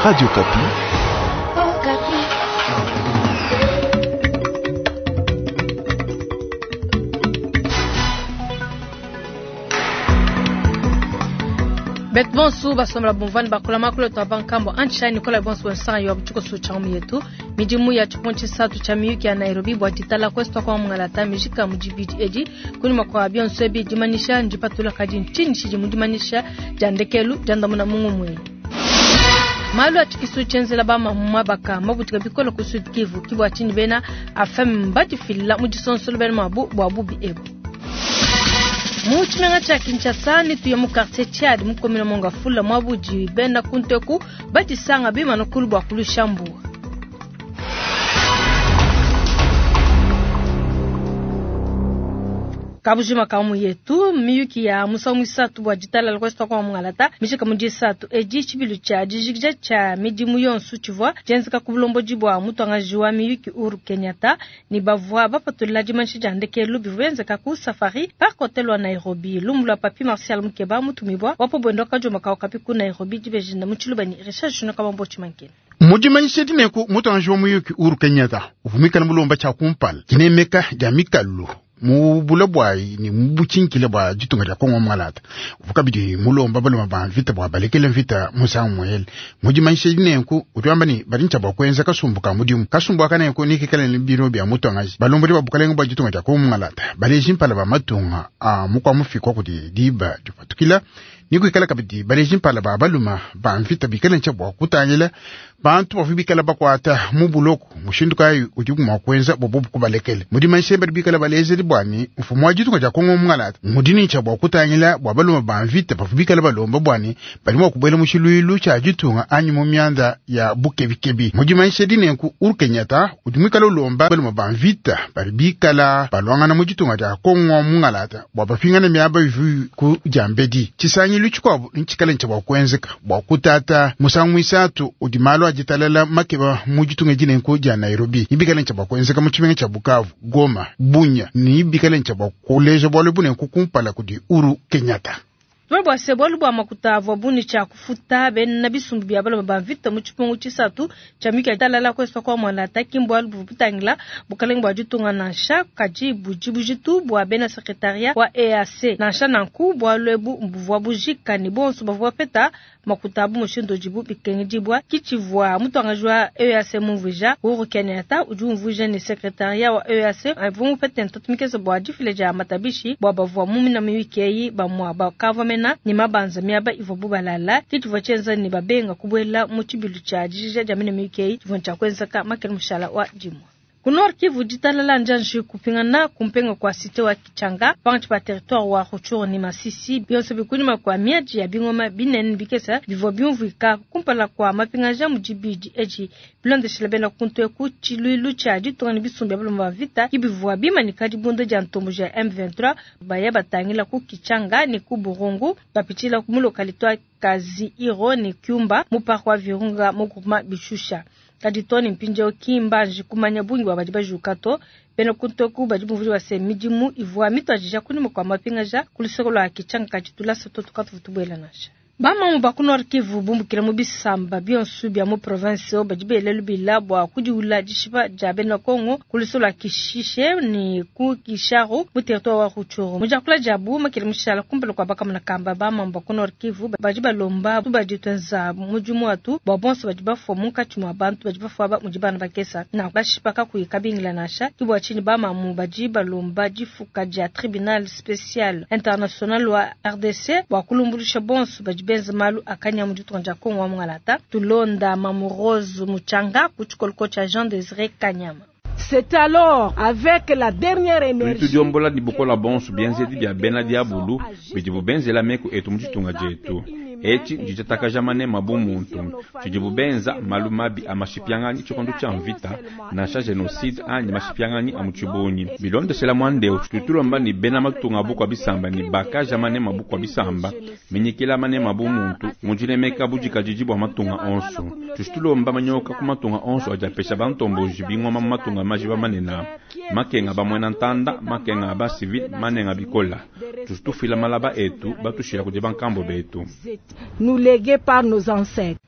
Radio Okapi. Betu bonsu basombola bumvua ne bakula makulu etu a bankambua antshishayi nikola bonsu bonsanga yo tshikoso tshia ngumu yetu midimu ya tshipungu tshisatu tshia miyuki ya Nairobi bua ditala kuesu kwa mungalata mijika mu dibidi edi kunyima kua bionso ebi dimanyisha ndipatula kadi ntshinyi tshidi mu dimanyisha dia ndekelu diandamuna mu ngumu eyi. Malu a tshikisu tshienzela ba mamu mabaka mabutuka bikole ku Sud Kivu ki bua tshinyi bena AFEM badifila mu disonsolo bena mabu bua bubi ebu. Mu tshimenga tshia Kinshasa ne tuya mu quartier Tchad mu commune Mongafula muabudi bena kunteku badisanga bimana kulu bua kulusha mbuwa. Kabujima ka mu yetu miyuki ya musangu muisatu bua ditalala kuesu kwa mungalata mishika mu disatu edi tshibilu tshia dijikija tshia midimu yonso tshivua tshienzeka ku bulombodi bua mutuangaji wa miyuki Uhuru Kenyatta ne bavua bapatula dimanyisha dia ndekelu bivua bienzeka ku Safari Park Hotel wa Nairobi. Lumu lua Papi Martial Mukeba mutumibua wa pobwendo kajoma kawo kapi ku Nairobi dibejinda mu tshiluba ne Richard Junior Kabambo Tshimankene. Mu dimanyisha dineku mutuangaji wa muyuki Uhuru Kenyatta uvua muikale mulomba tshia kumpala dinemeka dia mikalu mu bula bwayi ni mu butshinkile bua ditunga dia Kongo Mungalata. Uvua kabidi mulomba baluma ba mvita bua balekele mvita musangu muele. Mu dimanyisha dinenku udi wamba ne badi ntshia bua kuenza kasumbu ka mudimu. Kasumbu aka nenku nikikale ne biro bia mutuangaji balombodi ba bukalenga bua ditunga dia Kongo Mungalata baleji mpala ba matunga a mukua mufikwa kudi diba dipatukila nikuikala kabidi baleji mpala ba baluma ba mvita bikale ntshia bua kutangila bantu bavua bikala bakuata mu buloko mushindu kayi udi mua kuenza bobo kubalekele. Mu dimanyisha badi bikala balezeli bua ne mfumu wa ditunga dia Kongo Mungalata mudi ne tshia bua kutangila bua baluma ba mvita bavua bikala balomba bua ne badi mua kubuela mu tshiluilu tshia ditunga anyi mu mianda ya bukebikebi. Mu dimanyisha dinenku Uhuru Kenyatta udi muikale ulomba baluma ba mvita badi bikala baluangana mu ditunga dia Kongo Mungalata bua bapingane miaba ivua ku diambedi. Tshisangilu tshikuabu ntshikale ntshia bua kuenzeka bua kutata musangu muisatu udi malu a ditalala makeba mu ditunga dinenku dia Nairobi ibikale ntshia bua kuenzeka mu tshimenga tshia Bukavu, Goma, Bunia ne ibikale ntshia bua kuleja bualu bunenku kumpala kudi Uhuru Kenyatta. Tume bua se bualu bua makuta avua buni tshia kufuta bena bisumbu bia baloma ba mvita mu tshipungu tshisatu tshia miyuki ya ditalala kuesu kwa Mungalata ki mbualu buvua butangila bukalenge bua ditunga nansha kadi budi bujitu bua bena secretariat wa EAC nansha nanku bualu ebu buvua bujika ne bonso bavua bapeta makuta abu mushindu udibu bikengedibua ki tshivua mutuangaji wa EAC mumvuija. Uhuru Kenyatta udi umvuija ne secretariat wa EAC avua mupete ntatu mikese bua difila dia matabishi bua bavua mu mina miyuki eyi bamua bakavua mena ne mabanza miaba ivua bubalala ki tshivua tshienza ne babenga kubuela mu tshibilu tshia dijija dia mina miyuki eyi tshivua tshia kuenzeka makele mushala wa dimue. Ku Nord Kivu ditalala njanji kupingana kumpenga kwa cité wa Kichanga pangatshi pa territoire wa Rutshuru ne Masisi bionso bikunyima kwa miadi ya bingoma binene bikesa bivua biumvuika kumpala kwa mapingaja mu dibidi edi bilondeshela bena kuntu eku tshiluilu tshia ditunga ne bisumbu bia baloma ba vita ki bivua bimanika dibunda dia ntombo ya M23 baya batangila ku Kichanga ne ku Burungu bapitshila mu localité wa Kazi Iro ne Kyumba mu parc wa Virunga mu groupement Bishusha. Kadi to ne mpindieu ki mbanji kumanya bungi bua badi bajuka to bena kuntoku badi bumvuija bua se midimu ivua mituadija kunyima kua mapingaja ku luseke lua Kichanga kadi tulasa to tukatuvua tubuela nansha. Bamamu ba ku Nord Kivu bumbukila mu bisamba bionso bia mu province oyo badi bela lubila bua kudiula dishipa dia bena Kongo ku luseke lua Kishishe ne ku Kisharu mu territoire wa Rutshuru. Mu diakula diabu makele mushala kumpala kua bakamuna kamba bamamu ba ku Nord Kivu badi balomba badi tuenza mudimu watu bua bonso badi bafua munkatshi mua bantu badi bafua ba mudi bana bakesa na bashipa kakuyi kabingila nansha. Ki bua tshinyi bamamu badi balomba difuka dia tribunal spécial international wa RDC bua kulumbulusha bonso badi benza malu akanya mu ditunga dia Kongo wa Mungalata. Tulonda Mamu Rose Muchanga ku tshikoloko tshia Jean Désiré Kanyama. C'est alors avec la dernière énergie Tudiombola dibukola bonso bienzedi bia bena diabulu bidi benzela meku etu mu ditunga dietu. Etshi nditatakaja manema bu muntu tshidi benza malu mabi a mashipianganyi tshikondo tshia mvita nansha genocide anyi mashipianganyi a mu tshibunyi. Bilondeshela mwandeo tutulomba ni bena matunga bukua bisamba ni bakaja manema bukua bisamba minyikila manema bu muntu mudilemeka budikadidi bua matunga onso. Tushitulomba manyoka ku matunga onso adi apesha bantomboji bingoma mu matunga majiba manene makenga bamwena ntanda makenga aba civil manenga bikola. Tushitufila malaba etu batushila kudi bankambo betu. Nous légués par nos ancêtres.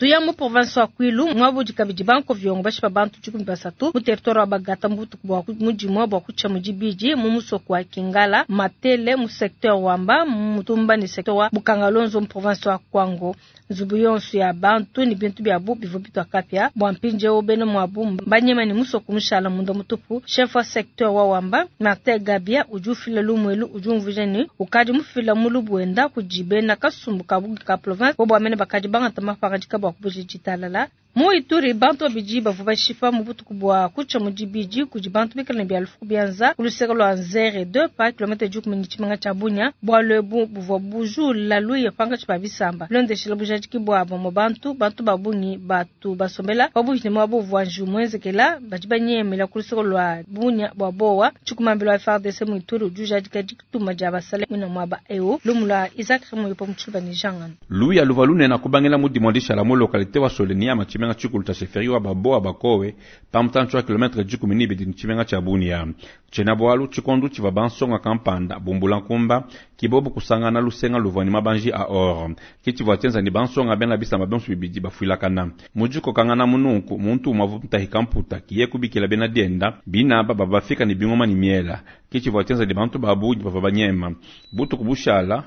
Tuya mu province wa Kwilu mwabudi kabidi bankoviongo bashipa bantu 13 mu territoire wa Bagata mu butuku bua mudimua bua kutshia mu dibidi mu musoko wa Kingala Matele mu secteur Wamba Mutumba ne secteur wa Bukangalonzo mu province wa Kwango. Nzubu yonso ya bantu ne bintu biabu bivua bitua kapia bua mpindieu bena muabu mbanyema ne musoko mushala munda mutupu. Chef wa secteur wa Wamba Martin Gabia udi ufila lumuelu udi umvuija ne ukadi mufila mulubu wenda kudi bena kasumbu ka bugi ka province bo bua mene bakadi bangata mapangadika bua kubuja ditalala. Mu Ituri bantu babidi bavua bashipa mu butuku bua kutshia mu dibidi kudi bantu bikale ne bia lufu bianza ku luseke lua Nzere 2 pa kilomètre 10 ne tshimenga tshia Bunia. Bualu ebu buvua bujula luya pankatshi pa bisamba bilondeshela bujadiki bua bamue bantu. Bantu ba bungi batu basombela pabuipi ne muaba uvua njiwu muenzekela badi banyemela ku luseke lua Bunia bua bowa. Tshikumambila wa FARDC mu Ituri udi ujadika dituma dia basale mwina muaba eu. Lumu lua Isaac Remoyope mu Tshiluba ne Jean Ngando. Luya luvua lunene kubangila mu dimua dishala mu localité wa Soleniama tshimenga tshikulu tshia chefferie wa Baboa Bakowe pa mutantshi wa kilomètre 12 ne tshimenga tshia Bunia. Tshiena bualu tshikondo tshivua bansonga kampanda bumbula nkumba kibobu kusangana lusenga luvua ne mabanji a or. Ke tshivua tshienza ne bansonga bena bisamba bionso bibidi bafuilakana. Mu dikokangana mununku muntu umue avua mutahika mputa kiye kubikila bena dienda binaba bavua bafika ne bingoma ne miela. Ke tshivua tshienza ne bantu ba bungi bavua banyema. Butuku bushala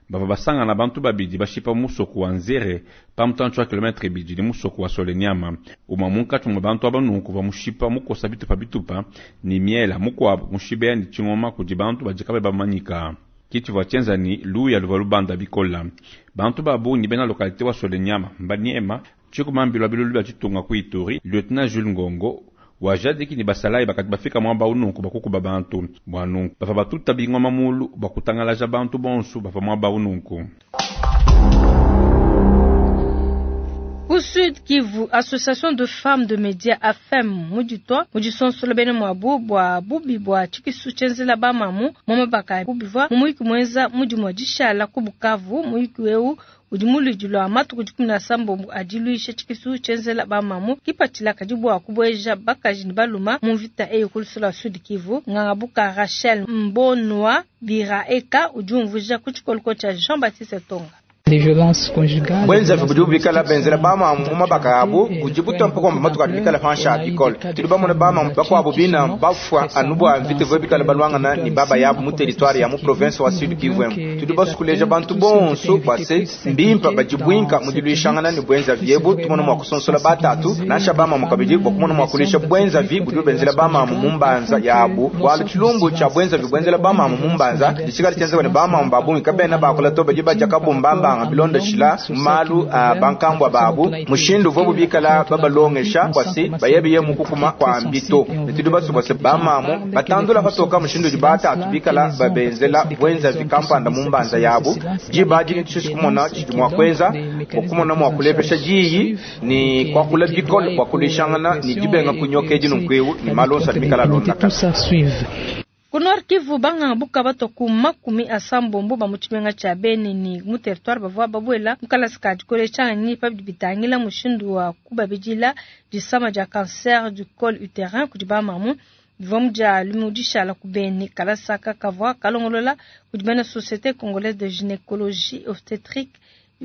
bavua basangana bantu babidi bashipa musoko wa Nzere pa mutantshi wa kilomètre ibidi ne musoko wa Soleniama. Umue munkatshi mua bantu aba nunku uvua mushipa mukosa bitupa bitupa ne miela, mukuabu mushibeya ne tshingoma kudi bantu badi kabayi bamanyika. Ke tshivua tshienza ne luya luvua lubanda bikola. Bantu ba bungi bena localité wa Soleniama mbanyema tshikumambilwa bilulu bia tshitunga ku Ituri. Lieutenant Jules Ngongo wajadiki ne basalayi bakadi bafika muaba ununku bakukuba bantu bua nunku bavua batuta bingoma mulu bua kutangalaja bantu bonso bavua muaba ununku. Ku Sud Kivu, Association de femmes de médias AFEM muditwa mudisonsola bena muabu bua bubi bua tshikisu tshienzela bamamu mu mabaka bivua mu muyuki muenza mudimu dishala ku Bukavu. Muyuki eu udi muludi lua matuku 17 adiluisha tshikisu tshienzela bamamu kipatshila kadi bua kubueja bakaji ne baluma mu mvita eyi ku luseke lua Sud Kivu. Ngangabuka Rachel Mbonwa Biraeka udi umvuija ku tshikoloko tshia Jean-Baptiste Tonga. Bwenzavi budi bubikala benzela bamamu mu mabaka abu budi butompa komba matuku adi bikala pansha bikole. Tudi bamona bamamu bakuabu bina bafua anu bua mvita ivua bikala balwangana ne baba yabu mu territoire ya mu province wa Sud Kivu. Tudi basukuleja bantu bonso bua se mbimpa badibuinka mu diluishangana ne bwenzavi ebu tumona mua kusonsola batatu nansha bamamu kabidi bua kumona mua kulisha bwenzavi budi benzela bamamu mu mbanza yabu. Bualu tshilumbu tshia bwenzavi bwenzela bamamu mu mbanza ditshikala tshienzeka ne bamamu ba bungi kabena bakula to badi badia kabumbambanga bilonda shila malu a bankambwa babu mushindu uvua bubikala babalongesha kwasi bayebiye mukukuma kwa mbito. Tudi basubase bamamu batandula patoka mushindu udi batatu bikala babenzela bwenzavi kampanda mu mbanza yabu diba dini tshisi kumona tshidi mua kuenza bua kumona mua kulepesha diyi ni kuakula bikole bua kulishangana ni dibenga kunyoka edi nunkuewu ni malu onso adi mikala alondakana. Ku Nord Kivu banganga buka bato ku 80 ba mu tshimenga tshia Beni ni mu territoire bavua babuela mu kalasa ka dikolesha nyi pa bidi bitangila mushindu wa kubabidila disama dia cancer du col utérin kudi bamamu bivua mu dia lumu dishala ku Beni. Kalasa aka kavua kalongolola kudi bena Société Congolaise de Gynécologie Obstétrique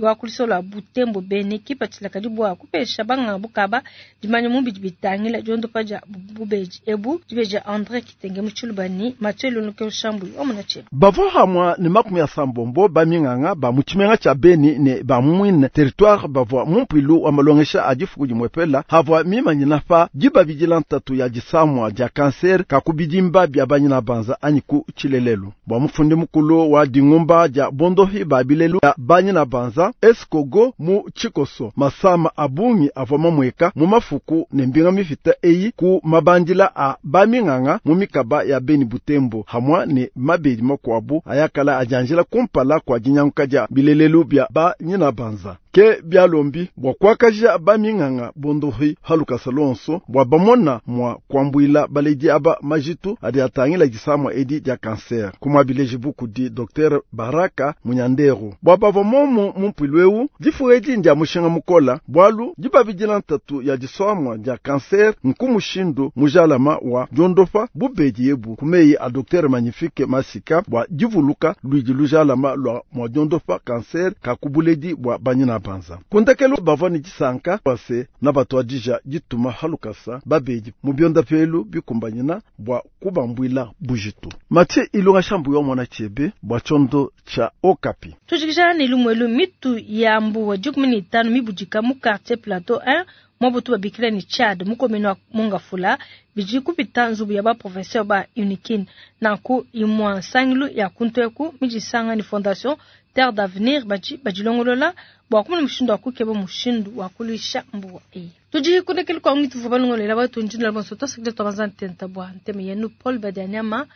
wa ku luseke lua Butembo Beni kipatshila kadi bua kupesha banganga bukaba dimanya mu bidi bitangila diondopa dia bubedi ebu dibeja André Kitenge mu Tshiluba ni Mathieu Lunuke Shambu omona tsheba. Bavua hamwa ne 80 baminganga ba mu tshimenga tshia Beni ne ba mwine territoire bavua mu mpuilu wa malongesha a difuku dimwepela havua mimanyina pa dibabidila ntatu ya disamwa dia kanser ka kubidimba bia banyina banza anyi ku tshilelelu. Bua mufundi mukulu wa dingumba dia bondohi ba bilelu ya banyina banza Esikogo mu tshikoso masama abungi avua mamweka mu mafuku ne mbinga mifita eyi ku mabandila a baminganga mu mikaba ya Beni Butembo hamwa ne mabedi makuabu ayakala ajanjila kumpala kwa dinyanguka dia bilelelu bia banyina banza. Ke bialombi bua kuakaja baminganga bondohi halukasa lonso bua bamona mua kuambuila baledi aba majitu adi atangila disamwa edi dia kanser. Kumwabileji bukudi Dr Baraka Munyanderu bua bavua momu mu mpuilu eu difu edi ndia mushinga mukola bualu dibabidila ntatu ya disamwa dia kanser nku mushindu mujalama wa diondopa bubedi ebu kumeyi a Dr Magnifique Masika bua divuluka luidi lujalama lua mua diondopa kanser ka kubuledi bua banyina. Mabanza. Kundekelu bavua ne disanka bua se na batuadija dituma halukasa babedi mu biondapelu bikumbanyina bua kubambuila bujitu. Mathieu Ilunga Shambu wa mwana chebe bua tshiondo tshia Okapi. Tujikija ne lumuelu mitu ya mbuwa 15 mibudika mu quartier Plateau 1 mwabutu babikila ni Tchad mu commune wa Mongafula bidi kupita nzubu ya ba professeur ba Unikin nanku imwa nsangilu ya kuntweku midisanga ni fondation Terre d'Avenir badi badilongolola bua kumona mushindu wa kukeba mushindu wa kuluisha mbuwa eyi. Tudi kundekeli kwa ngitu vuba lungolela batu njinda bonso tosikile twabanza ntenta bua nteme yenu Paul Badianyama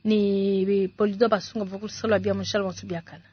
ni Polido Basunga bua kusalwa bia mushala bonso biakana.